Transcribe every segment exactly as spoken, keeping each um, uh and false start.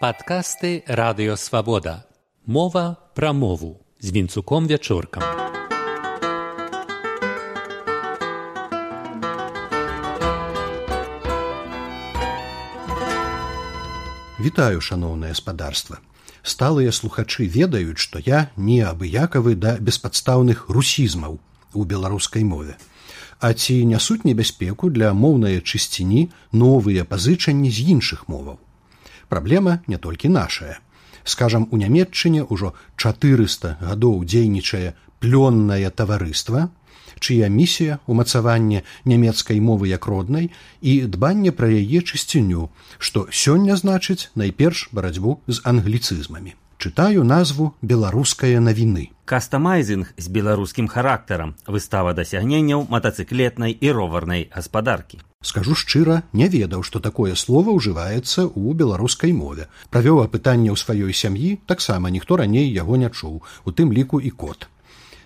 Падкасты Радыё Свабода. Мова пра мову з Вінцуком Вячоркам. Вітаю, шаноўнае спадарства. Сталыя слухачы ведаюць, што я неабыякавы да беспадстаўных русізмаў у беларускай мове. А ці нясуць небяспеку для моўнай чысціні новыя пазычанні з іншых моваў? Праблема не толькі нашая. Скажам, у Нямецчыне ўжо чатырыста гадоў дзейнічае плённае таварыства, чыя місія ўмацаванне нямецкай мовы як роднай і дбанне пра яе чысціню, што сёння значыць найперш барацьбу з англіцызмамі. Чытаю назву «Беларускае навіны». Кастамайзінг з беларускім характарам. Выстава дасягненняў матацыклетнай і роварнай гаспадаркі. Скажу шчыра, не ведаў, што такое слова ўжываецца ў беларускай мове. Правёў апытанне ў сваёй сям'і, таксама ніхто раней яго не чуў, у тым ліку і кот.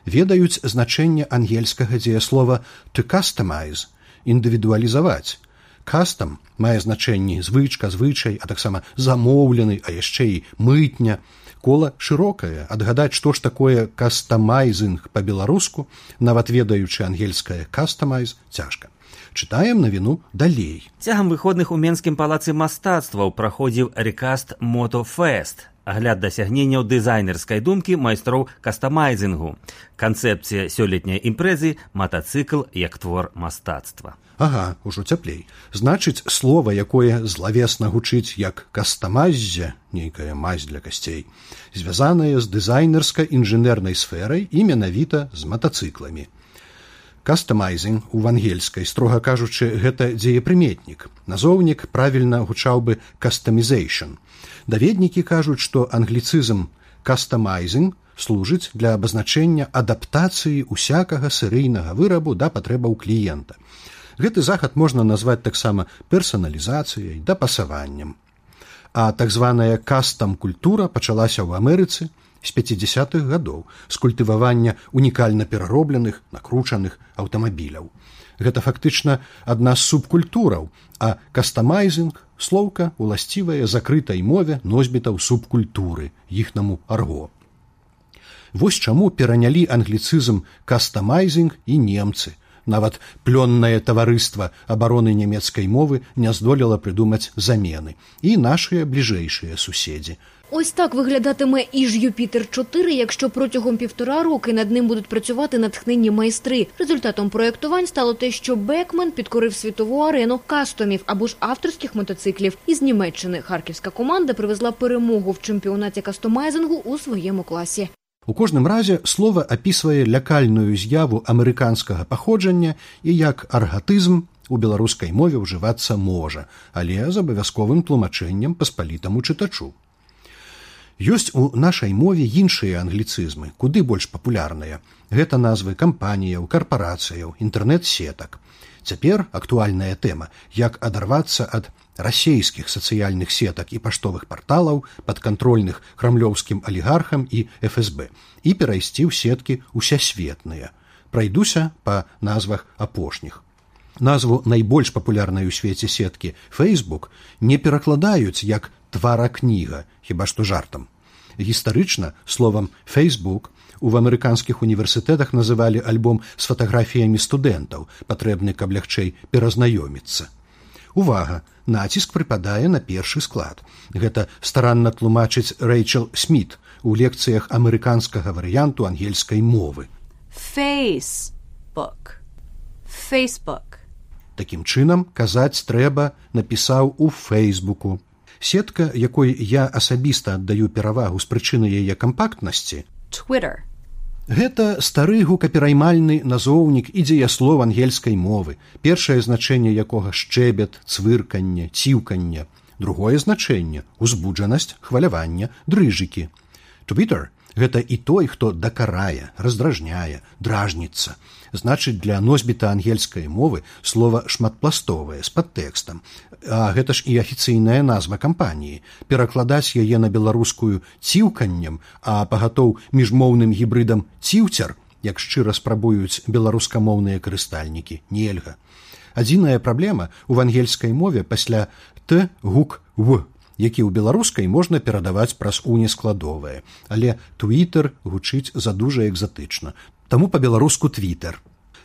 Ведаюць значэнне ангельскага дзеяслова «to customize» – індывідуалізаваць. Кастам мае значэнні звычка, звычай, а таксама замоўлены, а яшчэ і мытня. Кола шырокае, адгадаць, што ж такое кастамайзінг па-беларуску, нават ведаючы ангельскае «customize» цяжка. Чытаем навіну далей. Цягам выходных у Менскім палацы мастацтваў праходзіў рекаст Мотофест. Агляд дасягненняў дызайнерскай думкі майстроў кастамайзінгу. Канцэпцыя сёлетняй імпрэзы – матацыкл як твор мастацтва. Ага, ужо цяплей. Значыць, слова, якое злавесна гучыць як кастамайззе, нейкая мазь для касцей, звязанае з дызайнерска-інжынернай сферай і менавіта з матацыкламі. Кастамайзінг у ангельскай, строга кажучы, гэта дзеепрыметнік. Назоўнік правільна гучаў бы «customization». Даведнікі кажуць, што англіцызм «customizing» служыць для абазначэння адаптацыі усякага серыйнага вырабу да патрэбаў кліента. Гэты захад можна назваць таксама персаналізацыяй, дапасаваннем. А так званая кастам-культура пачалася ў Амерыцы з пяцідзясятых гадоў з культывавання унікальна пераробленых, накручаных аўтамабіляў. Гэта фактычна адна з субкультураў, а кастамайзінг – слоўка, уласцівая закрытай мове носьбітаў субкультуры, іхнаму арго. Вось чаму перанялі англіцызм кастамайзінг і немцы. Нават плённае таварыства абароны нямецкай мовы не здолела прыдумаць замены. І нашыя бліжэйшыя суседзі. Ось так виглядатиме і ж Юпітер чотири, якщо протягом півтора роки над ним будуть працювати натхненні майстри. Результатом проєктувань стало те, що Бекмен підкорив світову арену кастомів або ж авторських мотоциклів. Із Німеччини харківська команда привезла перемогу в чемпіонаті кастомайзингу у своєму класі. У кожным разе слова апісвае лякальную з'яву амерыканскага паходжання і як аргатызм у беларускай мове ўжывацца можа, але з абавязковым тлумачэннем паспалітаму чытачу. Ёсць у нашай мове іншыя англіцызмы, куды больш папулярныя. Гэта назвы кампаніяў, карпарацыяў, інтэрнэт-сетак. Цяпер актуальная тэма, як адарвацца ад расейскіх сацыяльных сетак і паштовых парталаў падкантрольных крамлёўскім алігархам і эф эс бэ і перайсці ў сеткі усесветныя. Прайдуся па назвах апошніх. Назву найбольш папулярнай у свеце сеткі Facebook не перакладаюць як тваракніга, хіба што жартам. Гістарычна словам Facebook у амерыканскіх універсітэтах называлі альбом з фатаграфіямі студэнтаў, патрэбны, каб лягчэй перазнаёміцца. Увага! Націск прыпадае на першы склад. Гэта старанна тлумачыць Рэйчел Сміт у лекцыях амерыканскага варыянту ангельскай мовы. Facebook. Facebook. Такім чынам, казаць трэба напісаў у Фейсбуку. Сетка, якой я асабіста аддаю перавагу з прычыны яе кампактнасці – Twitter. Гэта стары гукапераймальны назоўнік і дзеяслоў ангельскай мовы, першае значэнне якога шчэбет, цвырканне, ціўканне, другое значэнне – узбуджанасць, хваляванне, дрыжыкі. Twitter – гэта і той, хто дакарае, раздражняе, дражніцца. Значыць, для носьбіта ангельскай мовы слова шматпластовае, з падтэкстам. А гэта ж і афіцыйная назва кампаніі. Перакладаць яе на беларускую ціўканнем, а пагатоў міжмоўным гібрыдам ціўцяр, як шчыра спрабуюць беларускамоўныя карыстальнікі, нельга. Адзіная праблема ў ангельскай мове пасля «т» гук «в». які ў беларускай можна перадаваць праз унескладовае, але Twitter гучыць задужа экзатычна, таму па-беларуску Twitter.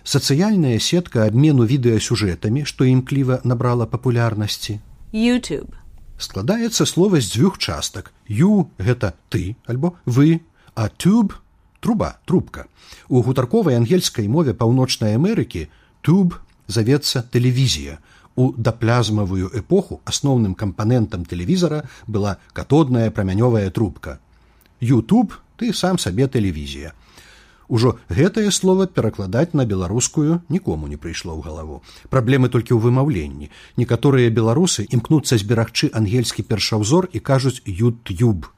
Сацыяльная сетка абмену відэасюжэтамі, што імкліва набрала папулярнасці. YouTube. Складаецца слова з дзвюх частак. You – гэта ты альбо вы, а tube – труба, трубка. У гутарковай ангельскай мове Паўночнай Амерыкі tube завецца тэлевізія. У даплязмавую эпоху асноўным кампанентам тэлевізара была катодная прамянёвая трубка. YouTube – ты сам сабе тэлевізія. Ужо гэтае слово перакладаць на беларускую нікому не прыйшло ў галаву. Праблемы толькі ў вымаўленні. Некаторыя беларусы імкнуцца зберагчы ангельскі першаўзор і кажуць YouTube.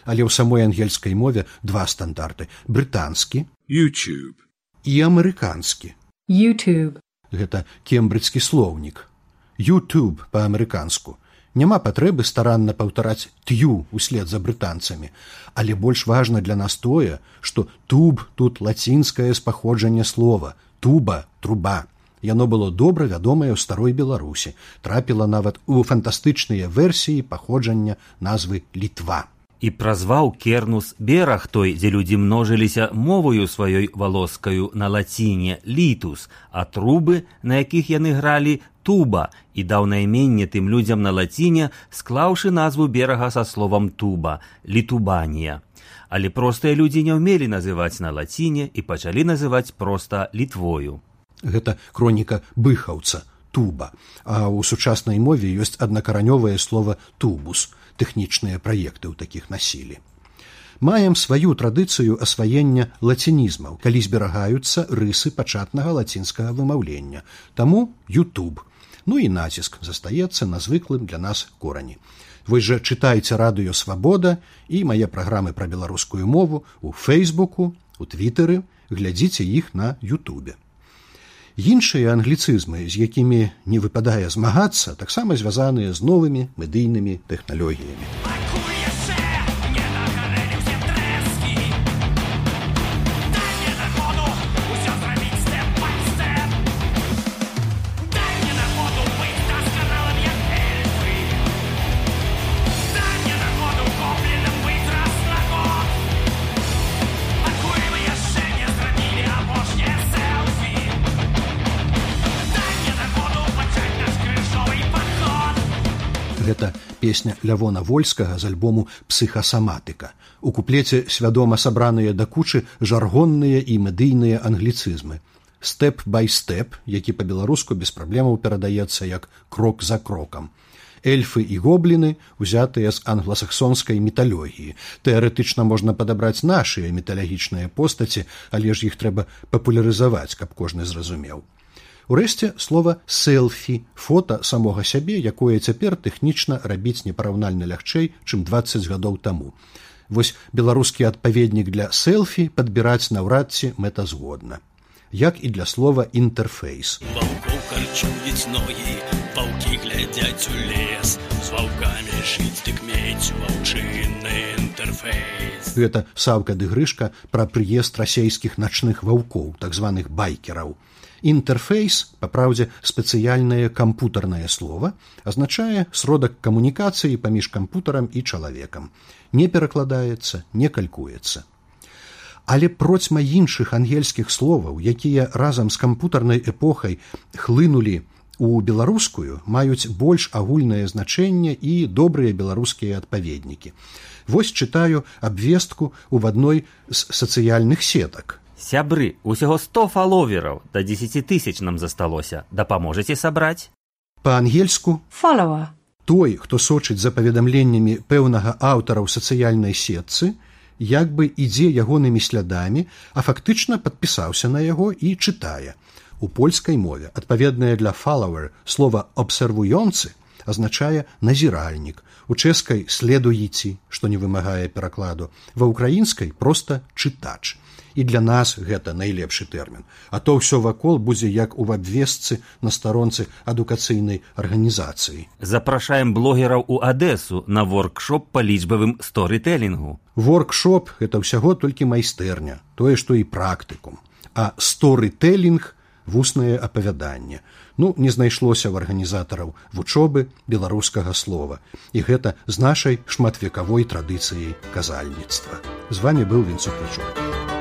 Але ў самой ангельскай мове два стандарты – брытанскі YouTube і амерыканскі. YouTube. Гэта кембриджскі слоўнік. YouTube па-амерыканску. Няма патрэбы старанна паўтараць «тю» услед за брытанцамі, але больш важна для нас тое, што «туб» тут лацінскае спаходжанне слова, «туба» – «труба». Яно было добра вядомае ў старой Беларусі, трапіла нават у фантастычныя версіі паходжання назвы «Літва». І празваў Кернус бераг той, дзе людзі множыліся мовою сваёй валоскаю на лаціне «літус», а трубы, на якіх яны гралі, «туба», і даў найменне тым людзям на лаціне, склаўшы назву берага са словам «туба» – «літубанія». Але простыя людзі не ўмелі называць на лаціне і пачалі называць проста Літвою. Гэта кроніка быхаўца «туба», а ў сучаснай мове ёсць аднакаранёвае слова «тубус». Тэхнічныя праекты ў такіх насілі. Маем сваю традыцыю асваення лацінізмаў, калі зберагаюцца рысы пачатнага лацінскага вымаўлення. Таму YouTube. Ну і націск застаецца на звыклым для нас корані. Вы жа чытайце радыё «Свабода» і мае праграмы пра беларускую мову у Фейсбуку, у Твітэры, глядзіце іх на Ютубе. Іншыя англіцызмы, з якімі не выпадае змагацца, таксама звязаныя з новымі медыйнымі тэхналогіямі. Гэта песня Лявона Вольскага з альбому «Псіхасаматыка». У куплеце свядома сабраныя да кучы жаргонныя і медыйныя англіцызмы. «Степ бай степ», які па-беларуску без праблемаў перадаецца як «крок за крокам». Эльфы і гобліны узятыя з англасаксонскай міталогіі. Тэарэтычна можна падабраць нашыя міталагічныя постаці, але ж іх трэба папулярызаваць, каб кожны зразумеў. Урэшце, слова «селфі» – фота самога сябе, якое цяпер тэхнічна рабіць непараўнальна лягчэй, чым дваццаць гадоў таму. Вось беларускі адпаведнік для селфі падбіраць наўрад ці мэтазгодна. Як і для слова «інтэрфейс». Ваўкоў карчуюць ногі, ваўкі глядзяць у лес, з ваўкамі жыць дык мець ваўчынны інтэрфейс. Гэта Саўка ды Грышка пра прыезд расейскіх начных ваўкоў, так званых байкераў. Інтэрфейс, па праўдзе, спецыяльнае кампутарнае слова, азначае сродак камунікацыі паміж кампутарам і чалавекам. Не перакладаецца, не калькуецца. Але процьма іншых ангельскіх словаў, якія разам з кампутарнай эпохай хлынулі у беларускую, маюць больш агульнае значэнне і добрыя беларускія адпаведнікі. Вось чытаю абвестку ў адной з сацыяльных сетак. Сябры, усяго сто фаловераў, да дзесяці тысяч нам засталося. Дапаможаце сабраць? Па-ангельску Follower. той, хто сочыць за паведамленнямі пэўнага аўтара ў сацыяльнай сетцы, як бы ідзе ягонымі слядамі, а фактычна падпісаўся на яго і чытае. У польскай мове адпаведнае для follower слова «абсервуёнцы» азначае «назіральнік», у чэшскай «следуеці», што не вымагае перакладу, ва ўкраінскай проста «чытач». І для нас гэта найлепшы тэрмін. А то ўсё вакол будзе як у абвестцы на старонцы адукацыйнай арганізацыі. Запрашаем блогераў у Адэсу на воркшоп па лічбавым сторытэлінгу. Воркшоп – гэта ўсяго толькі майстэрня, тое, што і практыкум. А сторытэлінг – вуснае апавяданне. Ну, не знайшлося ў арганізатараў вучобы беларускага слова. І гэта з нашай шматвекавой традыцыяй казальніцтва. З вами быў Вінцук Пячук.